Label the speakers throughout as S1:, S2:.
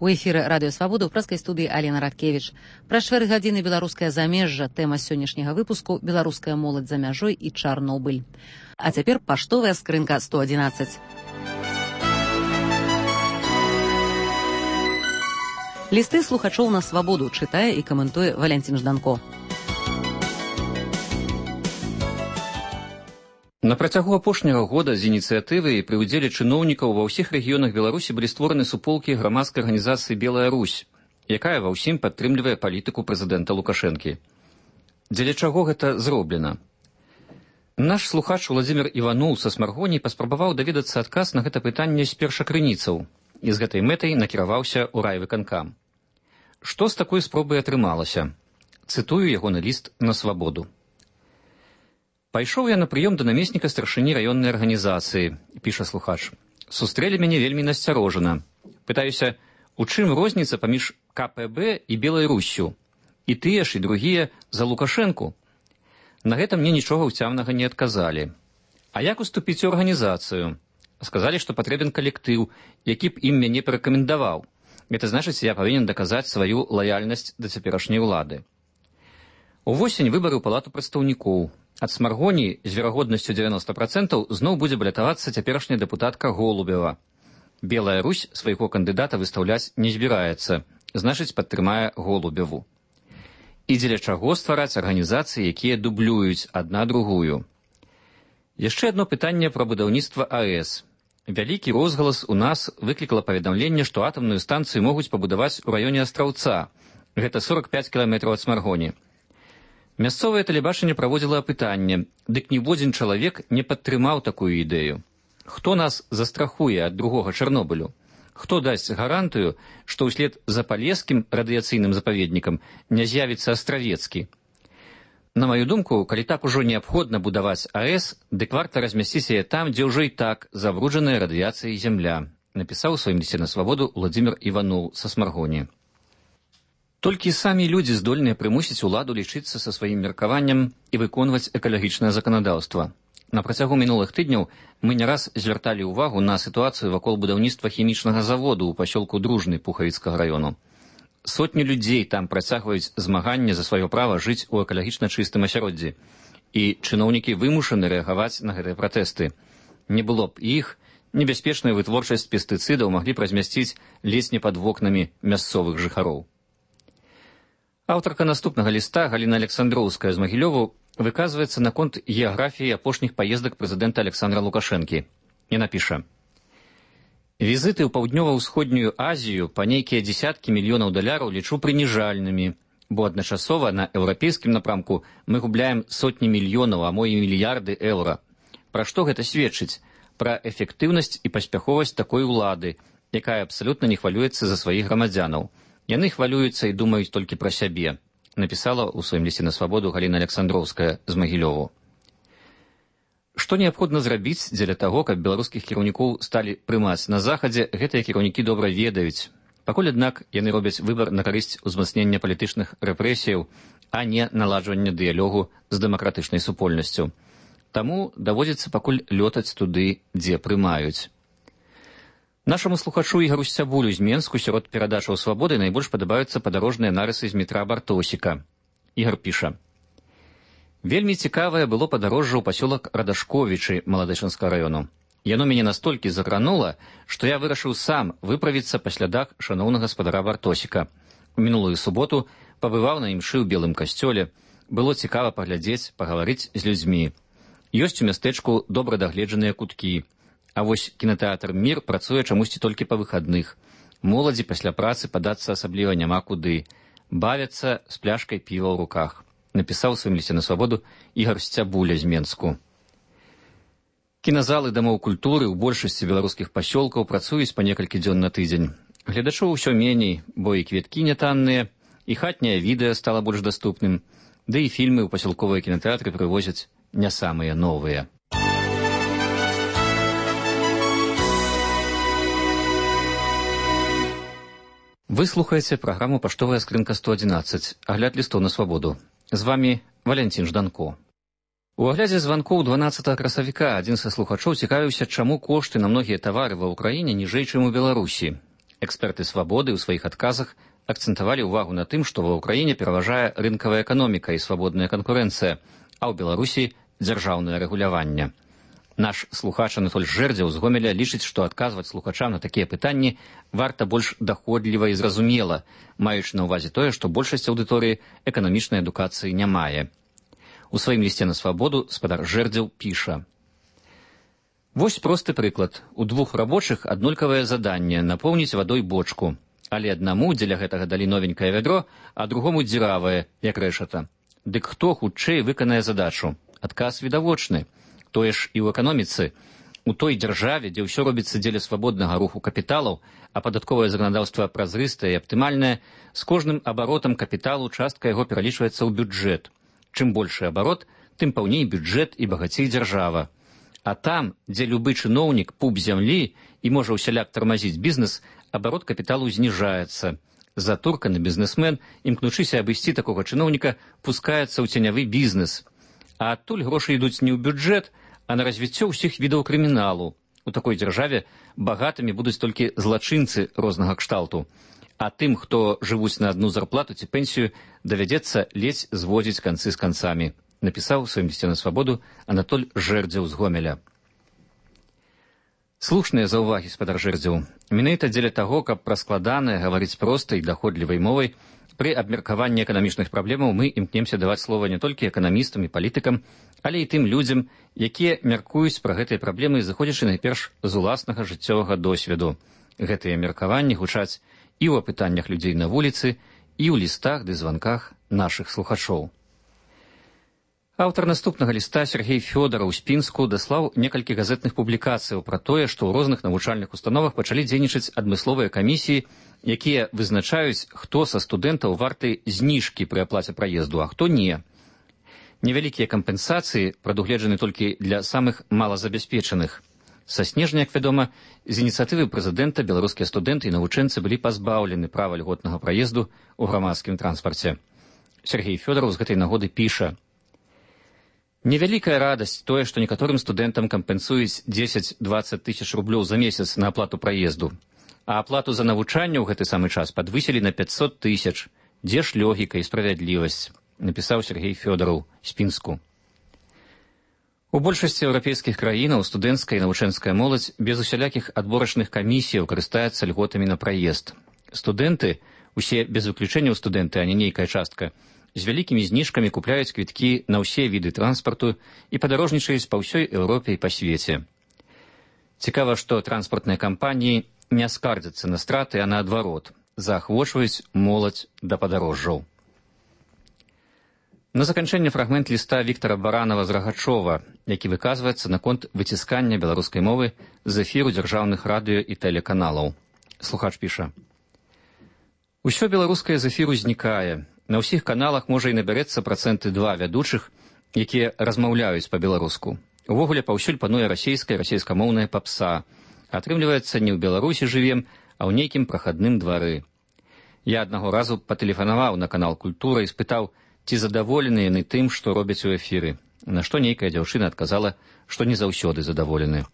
S1: У эфіры радыё Свабода ў прэскай студыі Алена Радкевіч. Праз 4 гадзіны беларускае замежжа. Тэма сённяшняга выпуску беларуская моладзь за мяжой і Чарнобыль. А цяпер паштовая скрынка 111. Лісты слухачоў на Свабоду чытае і каментуе Валянцін Жданко.
S2: На працягу апошняга года з ініцыятывы і пры ўдзеле чыноўнікаў ва ўсіх рэгіёнах Беларусі былі створаны суполкі грамадскай арганізацыі «Белая Русь», якая ва ўсім падтрымлівае палітыку прэзідэнта Лукашэнкі. Дзеля чаго гэта зроблена? Наш слухач Уладзімір Іваноў са Смаргоні паспрабаваў даведацца адказ на гэта пытанне з першакрыніцаў і з гэтай мэтай накіраваўся ў райвыканкам. Што з такой спробай атрымалася? Цытую ягоны ліст на Свабоду. Пайшоў я на прыём да намесніка старшыні раённай арганізацыі, піша слухач. Сустрэлі мяне вельмі насцярожана. Пытаюся, у чым розніца паміж КПБ і Белай Руссю? І тыя ж, і другія за Лукашэнку? На гэта мне нічога ўцямнага не адказалі. А як уступіць у арганізацыю? Сказалі, што патрэбен калектыў, які б ім мяне парэкамендаваў. Гэта значыць, я павінен даказаць сваю лаяльнасць да цяперашняй улады. Увосень выбары ў палату прадстаўнікоў. Ад Смаргоні з верагоднасцю 90% зноў будзе балятавацца цяперашняя дэпутатка Голубева. Белая Русь свайго кандыдата выстаўляць не збіраецца, значыць, падтрымае Голубеву. І дзеля чаго ствараць арганізацыі, якія дублююць адна другую? Яшчэ адно пытанне пра будаўніцтва АЭС. Вялікі розгалас у нас выклікала паведамленне, што атамную станцыю могуць пабудаваць у раёне Астраўца. Гэта 45 кіламетраў ад Смаргоні. Мясцовае тэлебачанне праводзіла апытанне, дык ніводзін чалавек не падтрымаў такую ідэю. Хто нас застрахуе ад другога Чарнобылю? Хто дасць гарантыю, што ўслед за палескім радыяцыйным запаведнікам не з'явіцца Астравецкі? На маю думку, калі так ужо неабходна будаваць АЭС, дык варта размясціць яе там, дзе ўжо і так забруджаная радыяцыяй зямля, напісаў у сваім лісце на Свабоду Уладзімір Іваноў са Смаргоні. Толькі самі людзі здольныя прымусіць уладу лічыцца са сваім меркаваннем і выконваць экалагічнае заканадаўства. На працягу мінулых тыдняў мы не раз звярталі ўвагу на сітуацыю вакол будаўніцтва хімічнага заводу ў пасёлку Дружны Пухавіцкага раёну. Сотні людзей там працягваюць змаганне за сваё права жыць у экалагічна чыстым асяроддзі. І чыноўнікі вымушаны рэагаваць на гэтыя пратэсты. Не было б іх, небяспечную вытворчасць пестыцыдаў маглі б размясціць ледзь не пад вокнамі мясцовых жыхароў. Аўтарка наступнага ліста Галіна Александроўская з Магілёву выказваецца наконт геаграфіі апошніх паездак прэзідэнта Александра Лукашэнкі. Яна піша: «Візіты ў паўднёва-ўсходнюю Азію па нейкія дзесяткі мільёнаў даляраў лічу прыніжальнымі, бо адначасова на еўрапейскім напрамку мы губляем сотні мільёнаў, а мо і мільярды еўра. Пра што гэта сведчыць? Пра эфектыўнасць і паспяховасць такой улады, якая абсалютна не хвалюецца за сваіх грамадзянаў. Яны хвалююцца і думаюць толькі пра сябе», напісала ў сваім лісце на Свабоду Галіна Александроўская з Магілёву. Што неабходна зрабіць дзеля таго, каб беларускіх кіраўнікоў сталі прымаць на захадзе, гэтыя кіраўнікі добра ведаюць. Пакуль, аднак, яны робяць выбар на карысць узмацнення палітычных рэпрэсіяў, а не наладжвання дыялогу з дэмакратычнай супольнасцю. Таму даводзіцца пакуль лётаць туды, дзе прымаюць. Нашаму слухачу Ігару Сцябулю з Менску сярод перадачаў Свабоды найбольш падабаюцца падарожныя нарысы з метра Бартосіка. Ігар піша: «Вельмі цікавае было падарожжа ў пасёлак Радашковічы Маладэчынскага раёну. Яно мяне настолькі закранула, што я вырашыў сам выправіцца па слядах шаноўнага гаспадара Бартосіка. У мінулую суботу пабываў на імшы ў белым касцёле. Было цікава паглядзець, пагаварыць з людзьмі. Ёсць у мястэчку добра дагледжаныя куткі. А вось кінатэатр «Мір» працуе чамусьці толькі па выхадных. Моладзі пасля працы падацца асабліва няма куды. Бавяцца з пляшкай піва ў руках», напісаў у сваім лісце на Свабоду Ігар Сцябуля з Менску. Кіназалы дамоў культуры ў большасці беларускіх пасёлкаў працуюць па некалькі дзён на тыдзень. Гледачоў усё меней, бо і квіткі нятанныя, і хатняе відэа стала больш даступным, ды і фільмы ў пасялковыя кінатэатры прывозяць не самыя новыя. Вы слухаеце праграму «Паштовая скрынка 111», агляд лістоў на Свабоду. З вамі Валянцін Жданко. У аглядзе званкоў 12 красавіка адзін са слухачоў цікавіўся, чаму кошты на многія тавары ва ўкраіне ніжэй, чым у Беларусі. Эксперты «Свабоды» ў сваіх адказах акцэнтавалі ўвагу на тым, што ва ўкраіне пераважае рынкавая эканоміка і свабодная канкурэнцыя, а ў Беларусі дзяржаўнае рэгуляванне. Наш слухач Анатоль Жэрдзеў з Гомеля лічыць, што адказваць слухачам на такія пытанні варта больш даходліва і зразумела, маючы на ўвазе тое, што большасць аўдыторыі эканамічнай адукацыі не мае. У сваім лісце на «Свабоду» спадар Жэрдзеў піша: «Вось просты прыклад. У двух рабочых аднолькавае заданне напоўніць вадой бочку. Але аднаму дзеля гэтага далі новенькае вядро, а другому дзіравае, як рэшата. Дык хто хутчэй выканае задачу? Адказ відавочны. Тое ж і ў эканоміцы. У той дзяржаве, дзе ўсё робіцца дзеля свабоднага руху капіталаў, а падатковае заканадаўства празрыстае і аптымальнае, з кожным абаротам капіталу частка яго пералічваецца ў бюджэт. Чым большы абарот, тым паўней бюджэт і багацей дзяржава. А там, дзе любы чыноўнік пуп зямлі і можа ўсяляк тармазіць бізнес, абарот капіталу зніжаецца. Затурканы бізнесмен, імкнучыся абысці такога чыноўніка, пускаецца ў ценявы бізнес. А адтуль грошы ідуць не ў бюджэт, а на развіццё ўсіх відаў крыміналу. У такой дзяржаве багатымі будуць толькі злачынцы рознага кшталту. А тым, хто жывуць на адну зарплату ці пенсію, давядзецца ледзь зводзіць канцы з канцамі, напісаў у сваім лісце на «Свабоду» Анатоль Жэрдзеў з Гомеля. Слушныя заўвагі, спадар Жэрдзеў. Менавіта дзеля таго, каб пра складанае гаварыць простай, даходлівай мовай, пры абмеркаванні эканамічных праблемаў мы імкнемся даваць слова не толькі эканамістам і палітыкам, але і тым людзям, якія мяркуюць пра гэтыя праблемы, зыходзячы найперш з уласнага жыццёвага досведу. Гэтыя меркаванні гучаць і ў апытаннях людзей на вуліцы, і ў лістах ды званках нашых слухачоў. Аўтар наступнага ліста Сергей Фёдараў з Пінску даслаў некалькі газетных публікацыяў пра тое, што ў розных навучальных установах пачалі дзейнічаць адмысловыя камісіі, якія вызначаюць, хто са студэнтаў варты зніжкі пры аплаце праезду, а хто не. Невялікія кампенсацыі прадугледжаны толькі для самых малазабяспечаных. Са снежня, як вядома, з ініцыятывы прэзідэнта беларускія студэнты і навучэнцы былі пазбаўлены права льготнага праезду ў грамадскім транспарце. Сергей Фёдараў з гэтай нагоды піша: «Невялікая радасць тое, што некаторым студэнтам кампенсуюць 10-20 тысяч рублёў за месяц на аплату праезду, а аплату за навучанне ў гэты самы час падвысілі на 500 тысяч. Дзе ж логіка і справядлівасць?» напісаў Сергей Фёдараў з Пінску. У большасці еўрапейскіх краінаў студэнцкая і навучэнская моладзь без усялякіх адборачных камісіяў карыстаецца льготамі на праезд. Студэнты, усе без выключэнняў студэнты, а не нейкая частка, з вялікімі зніжкамі купляюць квіткі на ўсе віды транспарту і падарожнічаюць па ўсёй Еўропе і па свеце. Цікава, што транспартныя кампаніі не скардзяцца на страты, а наадварот, заахвочваюць моладзь да падарожжаў. На заканчэнне фрагмент ліста Віктара Баранава з Рагачова, які выказваецца наконт выціскання беларускай мовы з эфіру дзяржаўных радыё і тэлеканалаў. Слухач піша: «Усё беларускае з эфіру знікае. На ўсіх каналах можа і набярэцца 2% вядучых, якія размаўляюць па-беларуску. Увогуле паўсюль пануе расейскамоўная папса. Атрымліваецца, не ў Беларусі жывем, а ў нейкім прахадным двары. Я аднаго разу патэлефанаваў на канал «Культура» і спытаў, ці задаволены яны тым, што робяць у эфіры, на што нейкая дзяўчына адказала, што не заўсёды задаволены.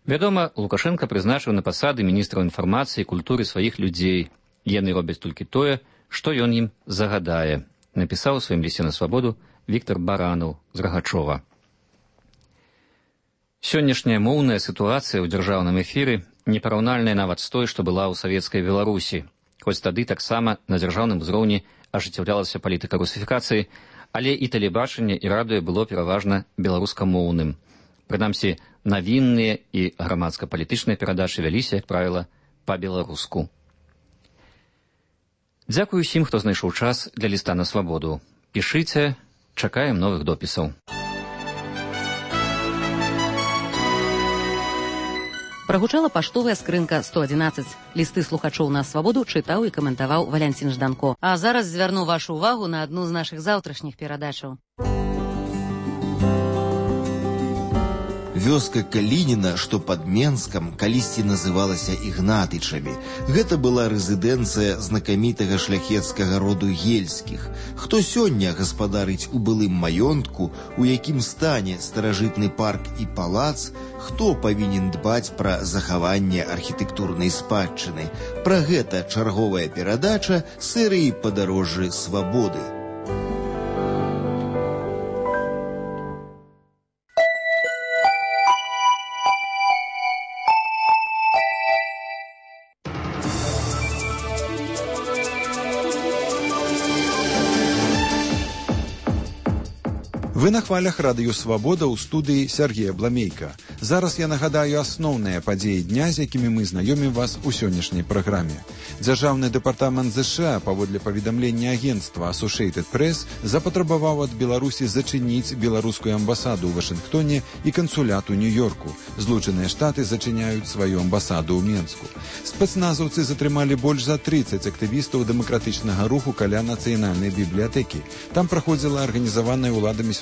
S2: Вядома, Лукашенка прызначыў на пасады міністраў інфармацыі і культуры сваіх людзей. Яны робяць толькі тое, што ён ім загадае, напісаў у сваім лісце на «Свабоду» Віктар Баранаў з Рагачова. Сённяшняя моўная сітуацыя ў дзяржаўным эфіры непараўнальная нават з той, што была ў савецкай Беларусі, хоць тады таксама на дзяржаўным узроўні ажыццяўлялася палітыка русіфікацыі, але і тэлебачанне і радыё было пераважна беларускамоўным. Прынамсі, навінныя і грамадска-палітычныя перадачы вяліся, як правіла, па-беларуску. Дзякую ўсім, хто знайшоў час для ліста на «Свабоду». Пішыце, чакаем новых допісаў.
S1: Прагучала паштовая скрынка 111. Лісты слухачоў на «Свабоду» чытаў і каментаваў Валянцін Жданко. А зараз звярну вашу ўвагу на адну з нашых заўтрашніх перадачаў.
S3: Вёска Калініна, што пад Менскам, калісьці называлася Ігнатычамі. Гэта была рэзідэнцыя знакамітага шляхецкага роду Ельскіх. Хто сёння гаспадарыць у былым маёнтку, у якім стане старажытны парк і палац, хто павінен дбаць пра захаванне архітэктурнай спадчыны. Пра гэта чарговая перадача серыі «Падарожжы свабоды».
S4: Вы на хвалях радыё «Свабода» ў студыі Сергея Бламейка. Зараз я нагадаю асноўныя падзеі дня, з якімі мы знаёмім вас у сённяшняй праграме. Дзяржаўны дэпартамент ЗША, паводле паведамлення агенцтва Associated Press, запатрабаваў ад Беларусі зачыніць беларускую амбасаду ў Вашынгтоне і кансулят у Нью-Йорку. Злучаныя Штаты зачыняюць сваю амбасаду ў Менску. Спецназаўцы затрымалі больш за 30 актывістаў дэмакратычнага руху каля нацыянальнай бібліятэкі. Там праходзіла арганізаваная ўладамі